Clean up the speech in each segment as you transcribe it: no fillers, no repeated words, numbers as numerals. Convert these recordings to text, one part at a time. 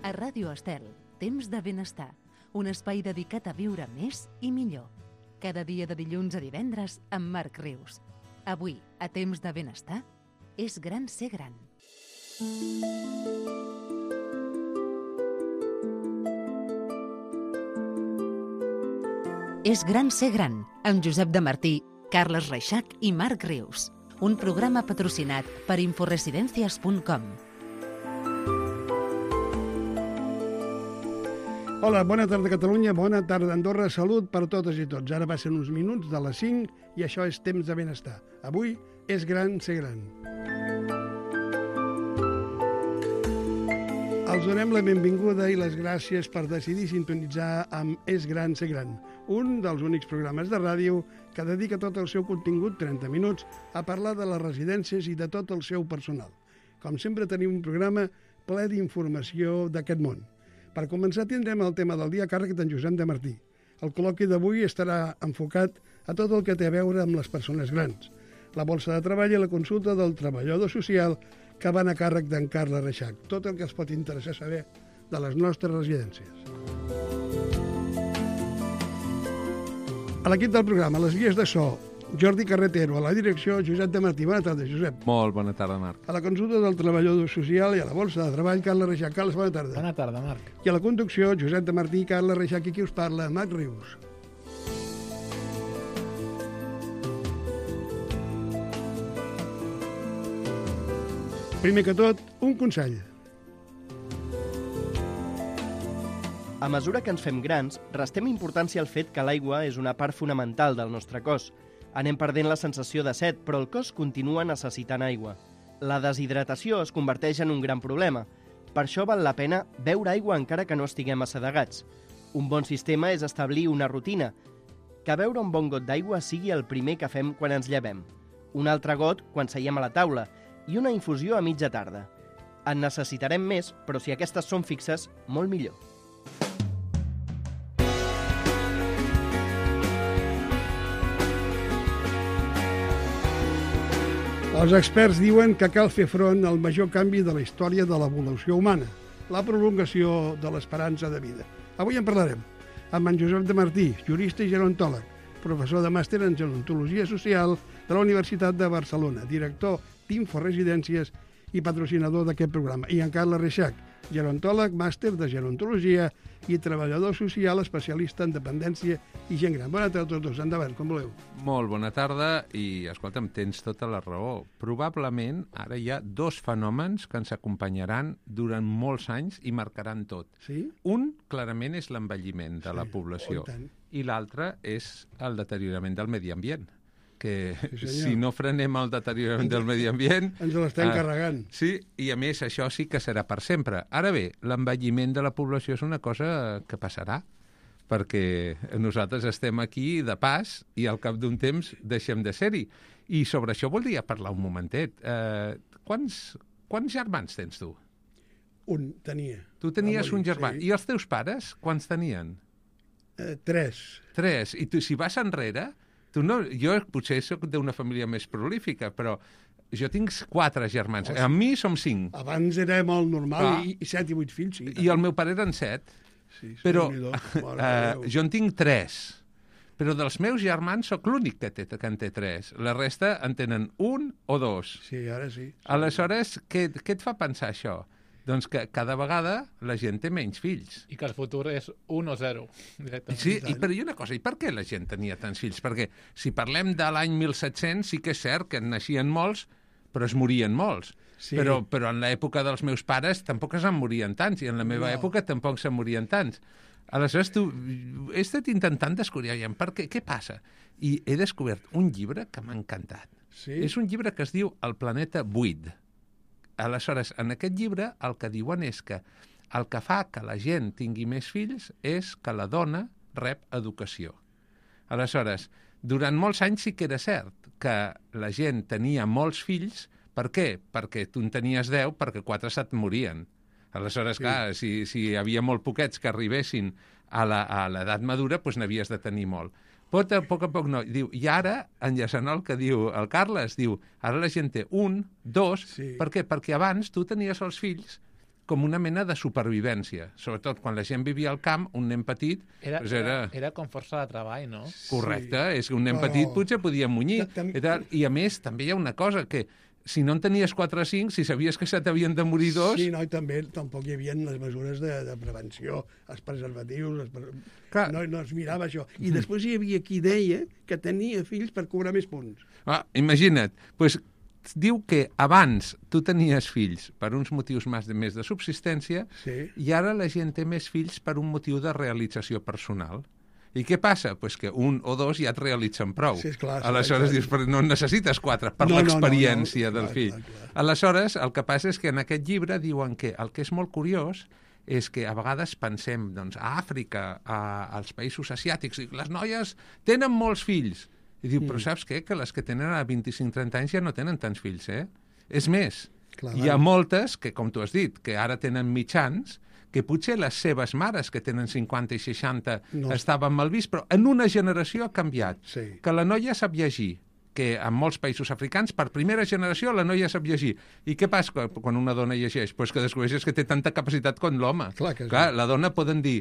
A Ràdio Estel, Temps de Benestar, un espai dedicat a viure més i millor. Cada dia de dilluns a divendres amb Marc Rius. Avui, a Temps de Benestar, és gran ser gran. És gran ser gran, amb Josep de Martí, Carles Reixac i Marc Rius. Un programa patrocinat per inforesidencias.com. Hola, bona tarda Catalunya, bona tarda Andorra, salut per totes i tots. Ara passen uns minuts de les 5 i això és Temps de Benestar. Avui és gran ser gran. Els donem la benvinguda i les gràcies per decidir sintonitzar amb És gran ser gran, un dels únics programes de ràdio que dedica tot el seu contingut, 30 minuts, a parlar de les residències i de tot el seu personal. Com sempre tenim un programa ple d'informació d'aquest món. Per començar tindrem el tema del dia a càrrec d'en Josep de Martí. El col·loqui d'avui estarà enfocat a tot el que té a veure amb les persones grans. La borsa de treball i la consulta del treballador social que van a càrrec d'en Carles Reixac. Tot el que es pot interessar saber de les nostres residències. A l'equip del programa, les guies de so, Jordi Carretero, a la direcció, Josep de Martí. Bona tarda, Josep. Molt bona tarda, Marc. A la consulta del treballador social i a la borsa de treball, Carles Reixac. Carles, bona tarda. Bona tarda, Marc. I a la conducció, Josep de Martí, Carles Reixac i qui us parla, Marc Rius. Primer que tot, un consell. A mesura que ens fem grans, restem importància al fet que l'aigua és una part fonamental del nostre cos. Anem perdent la sensació de set, però el cos continua necessitant aigua. La deshidratació es converteix en un gran problema. Per això val la pena beure aigua encara que no estiguem assedegats. Un bon sistema és establir una rutina, que beure un bon got d'aigua sigui el primer que fem quan ens llevem, un altre got quan seiem a la taula i una infusió a mitja tarda. En necessitarem més, però si aquestes són fixes, molt millor. Els experts diuen que cal fer front al major canvi de la història de l'evolució humana, la prolongació de l'esperança de vida. Avui en parlarem amb en Josep de Martí, jurista i gerontòleg, professor de màster en gerontologia social de la Universitat de Barcelona, director d'Inforesidències i patrocinador d'aquest programa, i en Carles Reixac, gerontòleg, màster de gerontologia i treballador social especialista en dependència i gent gran. Bona tarda a tots dos, endavant, com voleu. Molt bona tarda i, escolta'm, tens tota la raó. Probablement ara hi ha dos fenòmens que ens acompanyaran durant molts anys i marcaran tot. Sí? Un, clarament, és l'envelliment de la població i l'altre és el deteriorament del medi ambient. Que si no frenem el deteriorament del medi ambient... Ens l'estem carregant. Sí, i a més això sí que serà per sempre. Ara bé, l'envelliment de la població és una cosa que passarà, perquè nosaltres estem aquí de pas i al cap d'un temps deixem de ser-hi. I sobre això voldria parlar un momentet. Quants germans tens tu? Un, tenia. Tu tenies un germà. Sí. I els teus pares, quants tenien? 3. 3. I tu, si vas enrere... Tu no, jo potser soc d'una família més prolífica, però jo tinc 4 germans. A mi som 5. Abans era molt normal, i 7 i 8 fills, sí. I el meu pare eren 7. Sí, però jo en tinc 3. Però dels meus germans sóc l'únic que en té 3. La resta en tenen 1 o 2. Sí, ara sí. Aleshores, què et fa pensar això? Doncs que cada vegada la gent té menys fills. I que el futur és 1 o 0, directament. Sí, però hi ha una cosa, i per què la gent tenia tants fills? Perquè si parlem de l'any 1700, sí que és cert que en naixien molts, però es morien molts. Sí. Però en l'època dels meus pares tampoc se'n morien tants, i en la meva època tampoc se'n morien tants. Aleshores, he estat intentant descobrir per què passa. I he descobert un llibre que m'ha encantat. Sí? És un llibre que es diu El planeta buit. Aleshores, en aquest llibre el que diuen és que el que fa que la gent tingui més fills és que la dona rep educació. Aleshores, durant molts anys sí que era cert que la gent tenia molts fills. Per què? Perquè tu en tenies 10, perquè 4 se't morien. Aleshores, clar, si hi havia molt poquets que arribessin a l'edat madura, doncs n'havies de tenir molt. A poc no. Diu, i ara, enllaçant el que diu el Carles, diu, ara la gent té 1, 2, Sí. per què? Perquè abans tu tenies els fills com una mena de supervivència. Sobretot quan la gent vivia al camp, un nen petit... Era com força de treball, no? Correcte, és que un nen petit potser podia munyir. I a més, també hi ha una cosa, que si no en tenies 4 o 5, si sabies que se t'havien de morir 2... Sí, no, i també tampoc hi havia les mesures de prevenció, els preservatius... No es mirava això. I després hi havia qui deia que tenia fills per cobrar més punts. Imagina't, doncs diu que abans tu tenies fills per uns motius més de subsistència i ara la gent té més fills per un motiu de realització personal. I què passa? Pues que 1 o 2 ja et realitzen prou. Sí, clar, aleshores dius, no necessites 4 per l'experiència del fill. Clar. Aleshores, el que passa és que en aquest llibre diuen que el que és molt curiós és que a vegades pensem a Àfrica, als països asiàtics, i les noies tenen molts fills. I diu, però saps què? Que les que tenen a 25-30 anys ja no tenen tants fills, És més, hi ha moltes que, com tu has dit, que ara tenen mitjans, que potser les seves mares, que tenen 50 i 60, estaven mal vist, però en una generació ha canviat. Sí. Que la noia sap llegir, que en molts països africans, per primera generació, la noia sap llegir. I què passa quan una dona llegeix? Pues que descobreixes que té tanta capacitat com l'home. Clar, la dona poden dir,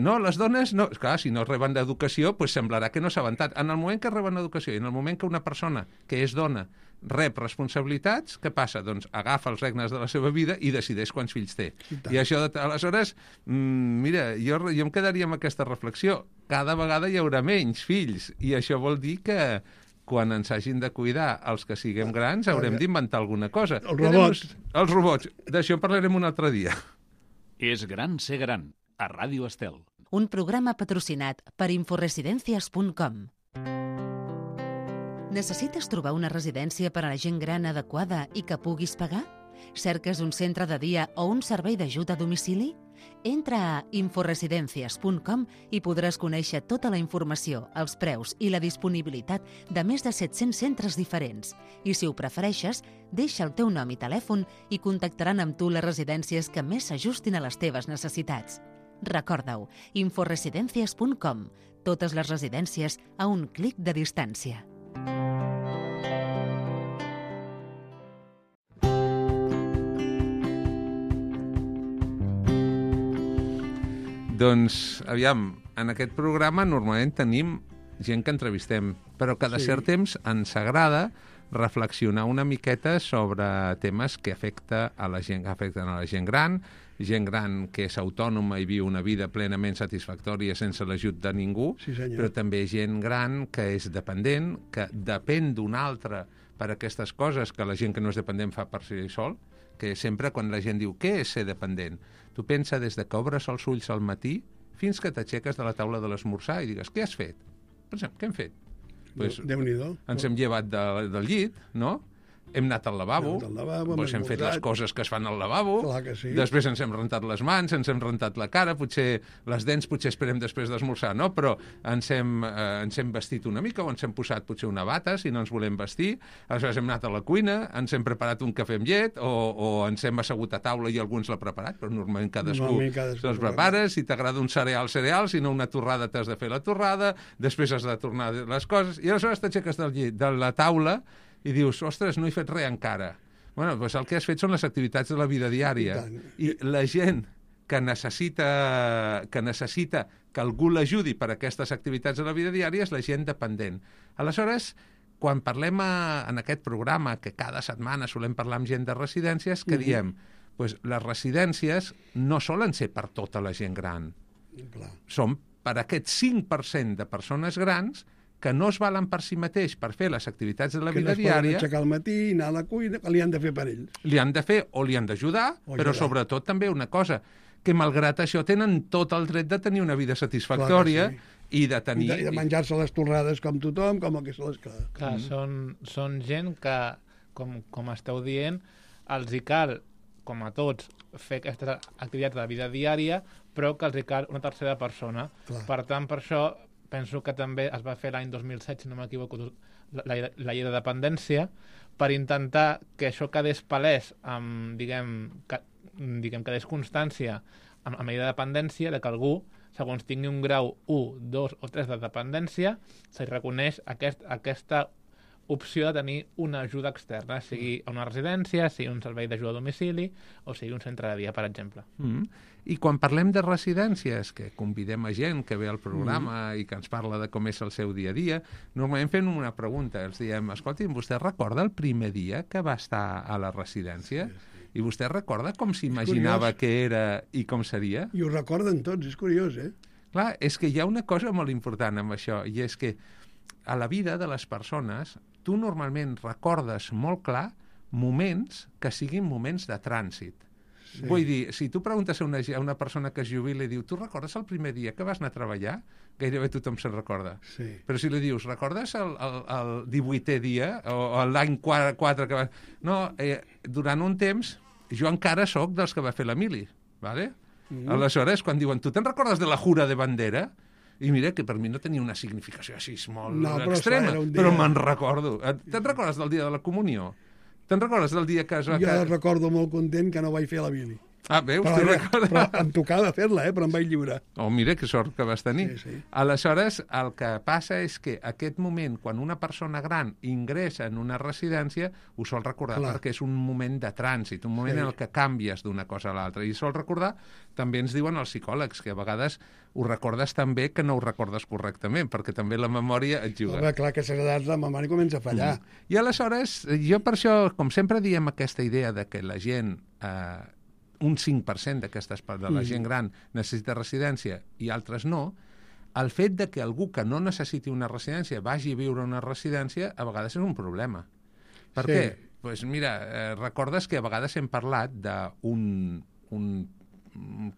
no, les dones no... Clar, si no reben educació, pues semblarà que no saben tant. En el moment que reben educació i en el moment que una persona que és dona rep responsabilitats, què passa? Doncs agafa els regnes de la seva vida i decideix quants fills té. I això, aleshores, mira, jo em quedaria amb aquesta reflexió. Cada vegada hi haurà menys fills i això vol dir que quan ens hagin de cuidar els que siguem grans haurem d'inventar alguna cosa. Els robots. D'això en parlarem un altre dia. És gran ser gran, a Ràdio Estel. Un programa patrocinat per inforesidencias.com. Necessites trobar una residència per a la gent gran adequada i que puguis pagar? Cerques un centre de dia o un servei d'ajuda a domicili? Entra a inforesidencias.com i podràs conèixer tota la informació, els preus i la disponibilitat de més de 700 centres diferents. I si ho prefereixes, deixa el teu nom i telèfon i contactaran amb tu les residències que més s'ajustin a les teves necessitats. Recorda-ho, inforesidencias.com. Totes les residències a un clic de distància. Doncs, aviam, en aquest programa normalment tenim gent que entrevistem, però cada cert temps ens agrada reflexionar una miqueta sobre temes que afecten a la gent gran que és autònoma i viu una vida plenament satisfactòria sense l'ajut de ningú, però també gent gran que és dependent, que depèn d'un altre per aquestes coses que la gent que no és dependent fa per si sol, que sempre quan la gent diu què és ser dependent, tu pensa des de que obres els ulls al matí fins que t'aixeques de la taula de l'esmorzar i digues, què has fet? Pensem, què hem fet? Déu-n'hi-do. Ens hem llevat del llit, no? Hem anat al lavabo, hem fet les coses que es fan al lavabo, després ens hem rentat les mans, ens hem rentat la cara, potser les dents esperem després d'esmorzar, no? Però ens hem vestit una mica o ens hem posat potser una bata si no ens volem vestir, aleshores hem anat a la cuina, ens hem preparat un cafè amb llet o ens hem assegut a taula i algú ens l'ha preparat, però normalment cadascú se'ls prepara, si t'agrada un cereal, si no una torrada t'has de fer la torrada, després has de tornar les coses i aleshores t'aixeques del llit, de la taula i dius, ostres, no he fet res encara. Bueno, doncs el que has fet són les activitats de la vida diària. I la gent que necessita que algú l'ajudi per a aquestes activitats de la vida diària és la gent dependent. Aleshores, quan parlem en aquest programa, que cada setmana solem parlar amb gent de residències, que diem, doncs les residències no solen ser per tota la gent gran. Són per aquest 5% de persones grans que no es valen per si mateix per fer les activitats de la vida diària... Que no es poden aixecar al matí, anar a la cuina, que li han de fer per ells. Li han de fer o li han d'ajudar, però sobretot també una cosa, que malgrat això tenen tot el dret de tenir una vida satisfactòria i de tenir... I de menjar-se les torrades com tothom, com el que se les... Clar, són gent que, com esteu dient, els hi cal, com a tots, fer aquestes activitats de la vida diària, però que els hi cal una tercera persona. Per tant, per això penso que també es va fer l'any 2007, si no m'equivoco, la llei de dependència, per intentar que això quedés palès, quedés constància amb la llei de dependència, de que algú, segons tingui un grau 1, 2 o 3 de dependència, se li reconeix aquesta opció de tenir una ajuda externa, sigui una residència, sigui un servei d'ajuda a domicili o sigui un centre de dia, per exemple. I quan parlem de residències, que convidem a gent que ve al programa i que ens parla de com és el seu dia a dia, normalment fem una pregunta, els diem, escolti, vostè recorda el primer dia que va estar a la residència? I vostè recorda com s'imaginava que era i com seria? I ho recorden tots, és curiós, eh? Clar, és que hi ha una cosa molt important amb això, i és que a la vida de les persones tu normalment recordes molt clar moments que siguin moments de trànsit. Sí. Vull dir, si tu preguntes a una persona que es jubila i diu tu recordes el primer dia que vas anar a treballar? Gairebé tothom se'n recorda. Sí. Però si li dius, recordes el 18è dia o l'any 4 que vas... No, durant un temps jo encara sóc dels que va fer l'Emili, ¿vale? Aleshores, quan diuen, tu te'n recordes de la jura de bandera? I mira que per mi no tenia una significació així molt extrema, però me'n recordo. Te'n recordes del dia de la comunió? Te'n recordes del dia que es va... Jo recordo molt content que no vaig fer la Bili. Ah, veus? Però em tocava fer-la, però em vaig lliurar. Oh, mira, que sort que vas tenir. Sí. Aleshores, el que passa és que aquest moment, quan una persona gran ingressa en una residència, ho sol recordar perquè és un moment de trànsit, un moment en el que canvies d'una cosa a l'altra. I sol recordar, també ens diuen els psicòlegs, que a vegades ho recordes tan bé que no ho recordes correctament, perquè també la memòria et juga. Home, clar, que a l'edat la memòria comença a fallar. I aleshores, jo per això, com sempre diem aquesta idea de que la gent... un 5% de la gent gran necessita residència i altres no, el fet de que algú que no necessiti una residència vagi a viure a una residència a vegades és un problema. Per què? Pues mira, recordes que a vegades hem parlat d'un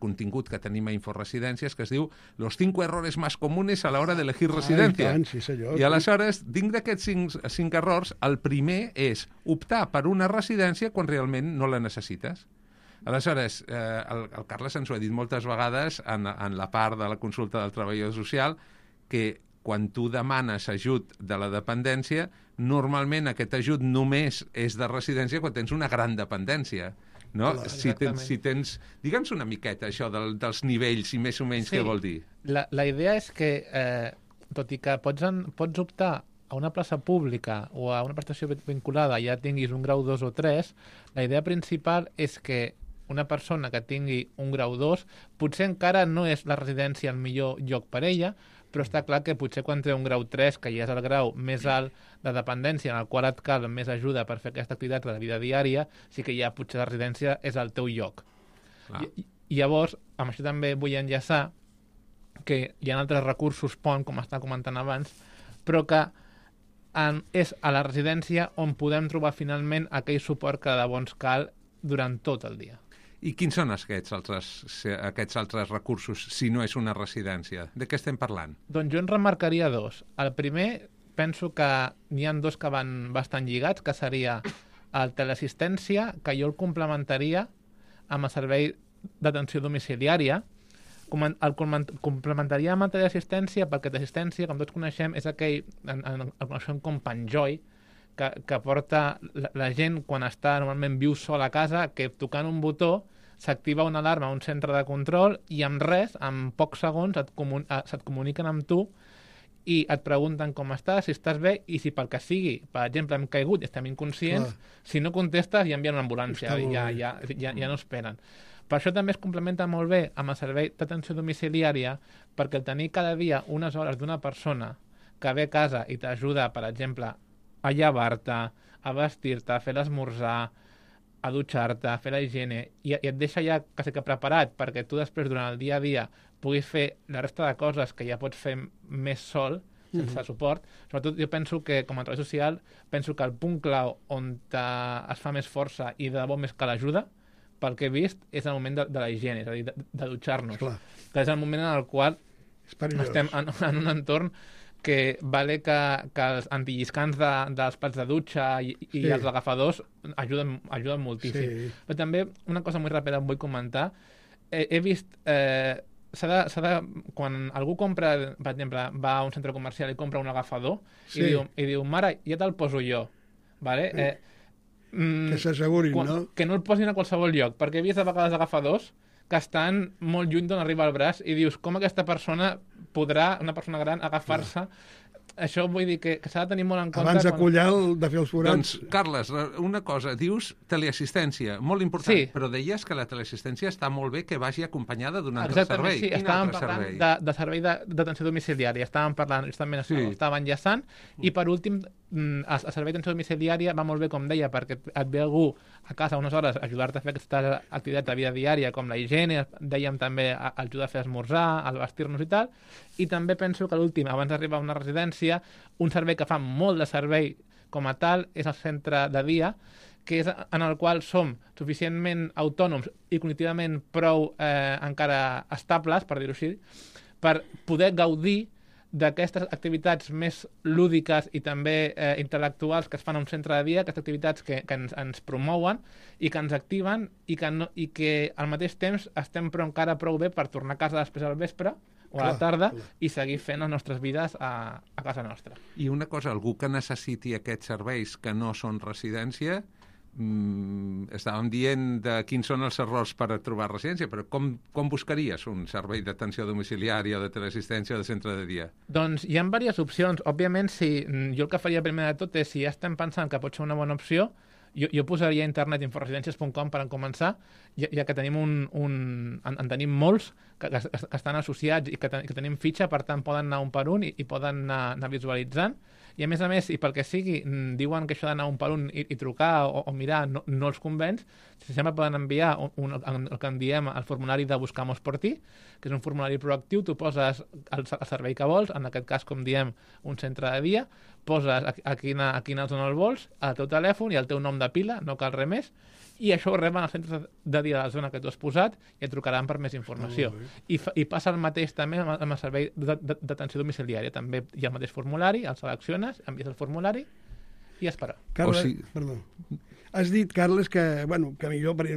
contingut que tenim a Inforesidències que es diu Los 5 errores más comunes a la hora de elegir residencia. Sí, senyor. I aleshores, dins d'aquests 5 errors, el primer és optar per una residència quan realment no la necessites. Aleshores, el Carles ens ho ha dit moltes vegades en la part de la consulta del treballador social, que quan tu demanes ajut de la dependència, normalment aquest ajut només és de residència quan tens una gran dependència. No? Clar, si tens... Digue'ns una miqueta això dels nivells i més o menys què vol dir. La idea és que, tot i que pots optar a una plaça pública o a una prestació vinculada, ja tinguis un grau 2 o 3, la idea principal és que una persona que tingui un grau 2 potser encara no és la residència el millor lloc per ella, però està clar que potser quan té un grau 3, que ja és el grau més alt de dependència en el qual et cal més ajuda per fer aquesta activitat de la vida diària, sí que ja potser la residència és el teu lloc. I llavors, amb això també vull enllaçar que hi ha altres recursos pont, com estava comentant abans, però que és a la residència on podem trobar finalment aquell suport que de bo ens cal durant tot el dia. I quins són aquests altres recursos, si no és una residència? De què estem parlant? Doncs jo en remarcaria 2. El primer, penso que n'hi ha 2 que van bastant lligats, que seria el teleassistència, que jo el complementaria amb el servei d'atenció domiciliària. El complementaria amb el teleassistència perquè teleassistència, com tots coneixem, és aquell, el coneixem com Panjoy, que porta la gent quan està normalment viu sol a casa, que tocant un botó s'activa una alarma a un centre de control i amb res, en pocs segons, se't comuniquen amb tu i et pregunten com estàs, si estàs bé, i si pel que sigui, per exemple, hem caigut i estem inconscients, si no contestes ja envien una ambulància, ja no esperen. Per això també es complementa molt bé amb el servei d'atenció domiciliària, perquè el tenir cada dia unes hores d'una persona que ve a casa i t'ajuda, per exemple, a llevar-te, a vestir-te, a fer l'esmorzar, a dutxar-te, a fer la higiene, i et deixa ja quasi que preparat perquè tu després, durant el dia a dia, puguis fer la resta de coses que ja pots fer més sol, sense suport. Sobretot jo penso que, com a treball social, penso que el punt clau on es fa més força i de debò més que l'ajuda, pel que he vist, és el moment de la higiene, és a dir, de dutxar-nos. Que és el moment en el qual estem en un entorn que vale que els antilliscants dels plats de dutxa i els agafadors ajuden moltíssim. Sí. Però també una cosa molt ràpida vull comentar. He vist... quan algú compra, per exemple, va a un centre comercial i compra un agafador i diu, mare, ja te'l poso jo. Vale? Que s'assegurin, no? Que no el posin a qualsevol lloc, perquè he vist a vegades agafadors que estan molt lluny d'on arriba el braç i dius, com aquesta persona podrà, una persona gran, agafar-se això vull dir que s'ha de tenir molt en compte... Abans de collar, de fer els forats... Doncs, Carles, una cosa, dius teleassistència, molt important, Sí. però deies que la teleassistència està molt bé que vagi acompanyada d'un altre Exactament, servei. sí, Quin estàvem altre parlant servei? de servei d'atenció domiciliària, estàvem parlant, justament Sí. estava enllaçant, i per últim, el servei d'atenció domiciliària va molt bé, com deia, perquè et ve algú a casa unes hores a ajudar-te a fer aquestes activitats de vida diària, com la higiene, dèiem també ajudar a fer esmorzar, a vestir-nos i tal, i també penso que l'últim, abans d'arribar a una residència, un servei que fa molt de servei com a tal és el centre de dia, que és en el qual som suficientment autònoms i cognitivament prou encara estables, per dir-ho així, per poder gaudir d'aquestes activitats més lúdiques i també intel·lectuals que es fan a un centre de dia, aquestes activitats que ens promouen i que ens activen i que al mateix temps estem encara prou bé per tornar a casa després al vespre o a la tarda i seguir fent les nostres vides a casa nostra. I una cosa, algú que necessiti aquests serveis que no són residència, estàvem dient de quins són els errors per trobar residència, però com buscaries un servei d'atenció domiciliària o de teleassistència o de centre de dia? Doncs hi ha diverses opcions. Òbviament, jo el que faria primer de tot és, si ja estem pensant que pot ser una bona opció, jo posaria a internet inforesidències.com per començar, ja que tenim en tenim molts que estan associats i que tenim fitxa, per tant poden anar un per un i poden anar visualitzant. I a més, i pel que sigui, diuen que això d'anar un per un i trucar o mirar no els convenç, sempre poden enviar el que en diem el formulari de Buscamos por ti, que és un formulari proactiu, tu poses el servei que vols, en aquest cas, com diem, un centre de dia, poses a quina zona el vols, al teu telèfon i el teu nom de pila, no cal res més, i això ho reben als centres de dia de la zona que tu has posat i et trucaran per més informació. I passa el mateix també amb el servei d'atenció domiciliària. També hi ha el mateix formulari, el selecciones, envies el formulari i esperar. Carles, perdó. Has dit, Carles, que millor per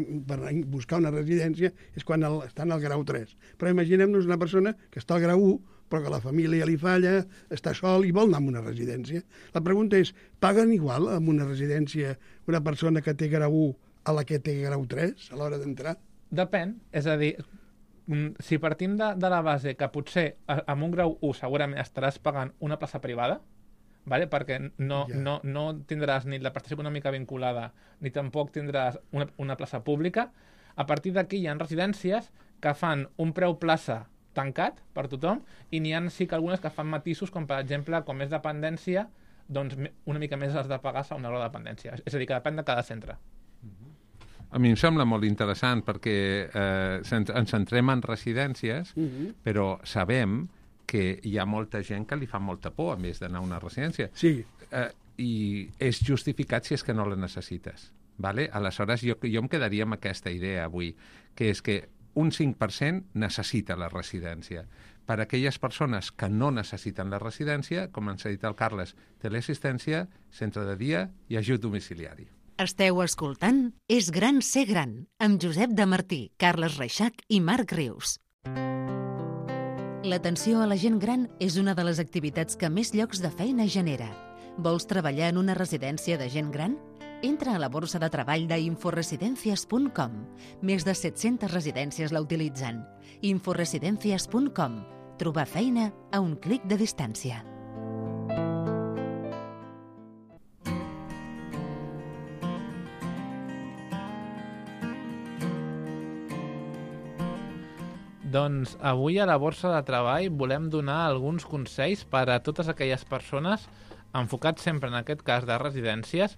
buscar una residència és quan estan al grau 3. Però imaginem-nos una persona que està al grau 1, però que la família li falla, està sol i vol anar a una residència. La pregunta és, paguen igual en una residència una persona que té grau 1 a la que té grau 3 a l'hora d'entrar? Depèn, és a dir, si partim de la base que potser amb un grau 1 segurament estaràs pagant una plaça privada, vale? Perquè no tindràs ni la prestació econòmica vinculada ni tampoc tindràs una plaça pública. A partir d'aquí hi ha residències que fan un preu plaça tancat per tothom i n'hi ha sí que algunes que fan matisos, com per exemple, com és dependència, doncs una mica més has de pagar segons el grau de dependència. És a dir, que depèn de cada centre. A mi em sembla molt interessant perquè ens centrem en residències, però sabem que hi ha molta gent que li fa molta por, a més d'anar a una residència. Sí. I és justificat si és que no la necessites. Vale? Aleshores, jo em quedaria amb aquesta idea avui, que és que un 5% necessita la residència. Per a aquelles persones que no necessiten la residència, com ens ha dit el Carles, teleassistència, centre de dia i ajut domiciliari. Esteu escoltant És gran ser gran, amb Josep de Martí, Carles Reixac i Marc Rius. L'atenció a la gent gran és una de les activitats que més llocs de feina genera. Vols treballar en una residència de gent gran? Entra a la borsa de treball d'inforesidencias.com. Més de 700 residències la utilitzen. Inforesidencias.com. Trobar feina a un clic de distància. Doncs avui a la borsa de treball volem donar alguns consells per a totes aquelles persones, enfocats sempre en aquest cas de residències,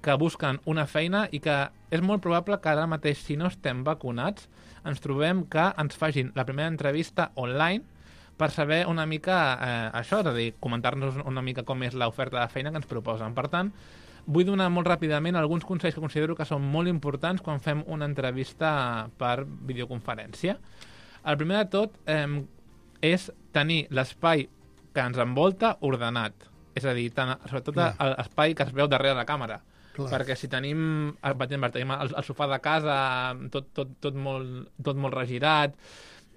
que busquen una feina i que és molt probable que ara mateix, si no estem vacunats, ens trobem que ens facin la primera entrevista online per saber una mica això, és a dir, comentar-nos una mica com és l'oferta de feina que ens proposen. Per tant, vull donar molt ràpidament alguns consells que considero que són molt importants quan fem una entrevista per videoconferència. El primer de tot és tenir l'espai que ens envolta ordenat. És a dir, sobretot l'espai que es veu darrere la càmera. Clar. Perquè si tenim, per exemple, tenim el sofà de casa tot molt regirat,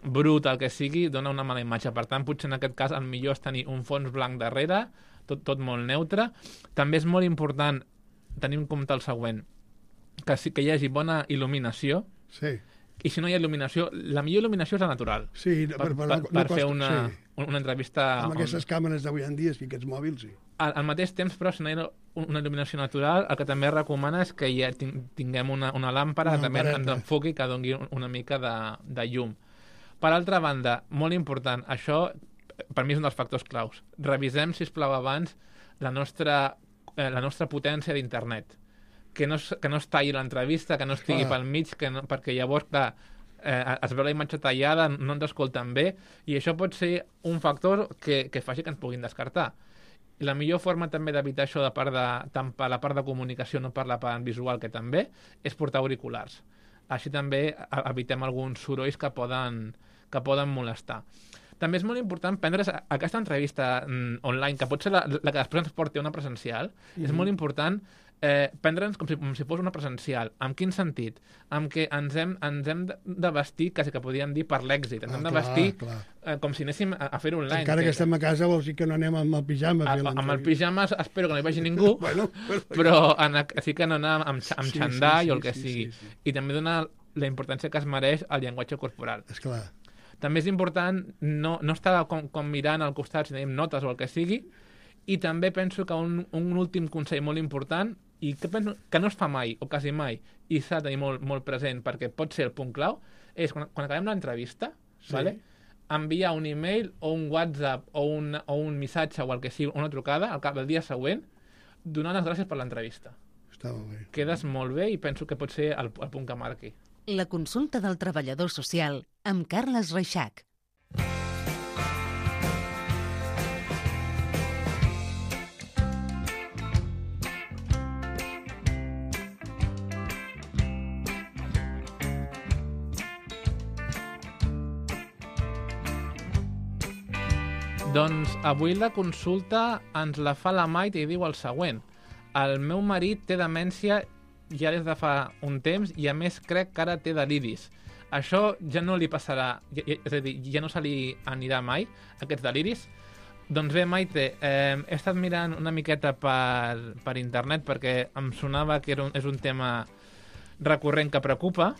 brut, el que sigui, dona una mala imatge. Per tant, potser en aquest cas el millor és tenir un fons blanc darrere, tot molt neutre. També és molt important tenir en compte el següent, que hi hagi bona il·luminació. Sí. I si no hi ha il·luminació, la millor il·luminació és la natural. Sí, per fer una una entrevista... Amb aquestes càmeres d'avui en dia, aquests mòbils, sí. Al mateix temps, però, si no hi ha una il·luminació natural, el que també recomana és que ja tinguem una làmpara que també ens enfoqui, que doni una mica de llum. Per altra banda, molt important, això per mi és un dels factors claus. Revisem, sisplau, abans la nostra potència d'internet. Que no es talli l'entrevista, que no estigui pel mig, perquè llavors, clar, es veu la imatge tallada, no ens escolten bé, i això pot ser un factor que faci que ens puguin descartar. I la millor forma també d'evitar això tant per la part de comunicació, no per la part visual, que també, és portar auriculars. Així també evitem alguns sorolls que poden molestar. També és molt important prendre's aquesta entrevista online, que pot ser la que després ens porti a una presencial, és molt important prendre'ns com si fos una presencial. En quin sentit? En què ens hem de vestir, quasi que podríem dir, per l'èxit. Ens hem de vestir com si anéssim a fer-ho online. Encara que estem a casa vols dir que no anem amb el pijama. Amb el pijama espero que no hi vagi ningú, però sí que no anar amb xandall o el que sigui. I també donar la importància que es mereix al llenguatge corporal. Esclar. També és important no estar com mirant al costat si tenim notes o el que sigui, i també penso que un últim consell molt important, i que penso que no es fa mai, o quasi mai, i s'ha de tenir molt present, perquè pot ser el punt clau, és quan acabem l'entrevista, enviar un e-mail o un WhatsApp o un missatge o el que sigui, una trucada al cap del dia següent, donant les gràcies per l'entrevista. Està molt bé. Quedes molt bé i penso que pot ser el punt que marqui. La consulta del treballador social amb Carles Reixac. Doncs avui la consulta ens la fa la Maite i diu el següent. El meu marit té demència ja des de fa un temps i a més crec que ara té deliris. Això ja no li passarà, és a dir, ja no se li anirà mai, aquests deliris? Doncs bé, Maite, he estat mirant una miqueta per internet perquè em sonava que és un tema recurrent que preocupa,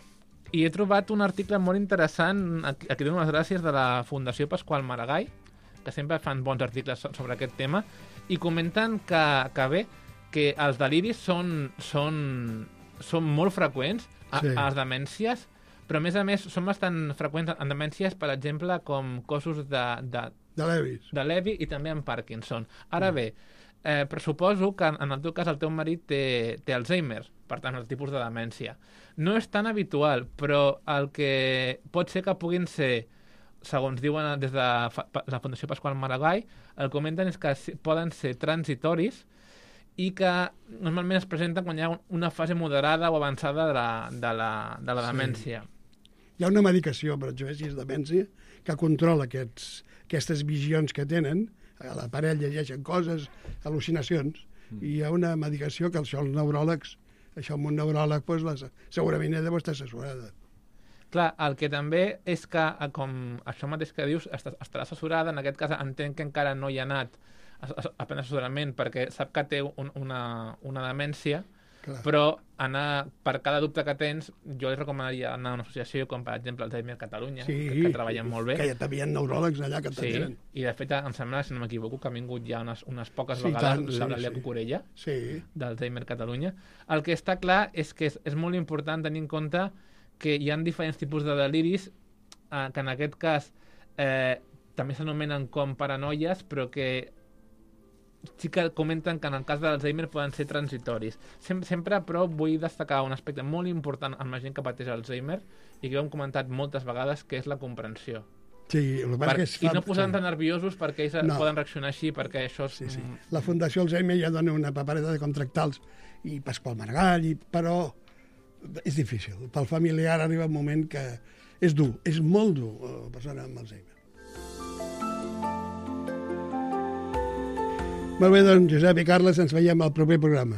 i he trobat un article molt interessant, aquí dono les gràcies, de la Fundació Pasqual Maragall, que sempre fan bons articles sobre aquest tema, i comenten que bé, que els deliris són molt freqüents a les demències, però a més són bastant freqüents en demències, per exemple, com cossos de Lewy i també en Parkinson. Ara bé, pressuposo que en el teu cas el teu marit té Alzheimer, per tant, el tipus de demència. No és tan habitual, però el que pot ser que puguin ser, segons diuen des de la Fundació Pasqual Maragall, el que comenten és que poden ser transitoris i que normalment es presenten quan hi ha una fase moderada o avançada de la demència. Hi ha una medicació, per exemple, si és demència, que controla aquestes visions que tenen, a la parella llegeixen coses, al·lucinacions, i hi ha una medicació que els neuròlegs, això amb un neuròleg segurament ha d'estar assessorada. Clar, el que també és que, com això mateix que dius, estarà assessorada, en aquest cas entenc que encara no hi ha anat a prendre assessorament perquè sap que té una demència, però per cada dubte que tens, jo li recomanaria anar a una associació com, per exemple, Alzheimer Catalunya, que treballen molt bé. Que ja també hi ha neuròlegs allà que t'atenen. Sí, i de fet, em sembla, si no m'equivoco, que ha vingut ja unes poques vegades l'Eulàlia Cucurella, d'Alzheimer Catalunya. El que està clar és que és molt important tenir en compte que hi ha diferents tipus de deliris, que en aquest cas també s'anomenen com paranoies, però que sí que comenten que en el cas de l'Alzheimer poden ser transitoris. Sempre, però, vull destacar un aspecte molt important en la gent que pateix Alzheimer i que ho hem comentat moltes vegades, que és la comprensió. Sí, i no posar-nos nerviosos perquè ells poden reaccionar així, perquè això és... Sí. La Fundació Alzheimer ja dona una papereta de contractals, i Pasqual Maragall, però és difícil. Pel familiar arriba un moment que és dur, és molt dur, la persona amb Alzheimer. Molt bé, doncs, Josep i Carles, ens veiem al proper programa.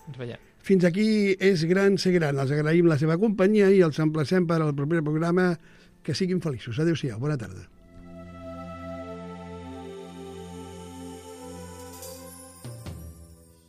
Ens veiem. Fins aquí És gran ser gran. Els agraïm la seva companyia i els emplacem per al proper programa. Que siguin feliços. Adéu-siau. Bona tarda.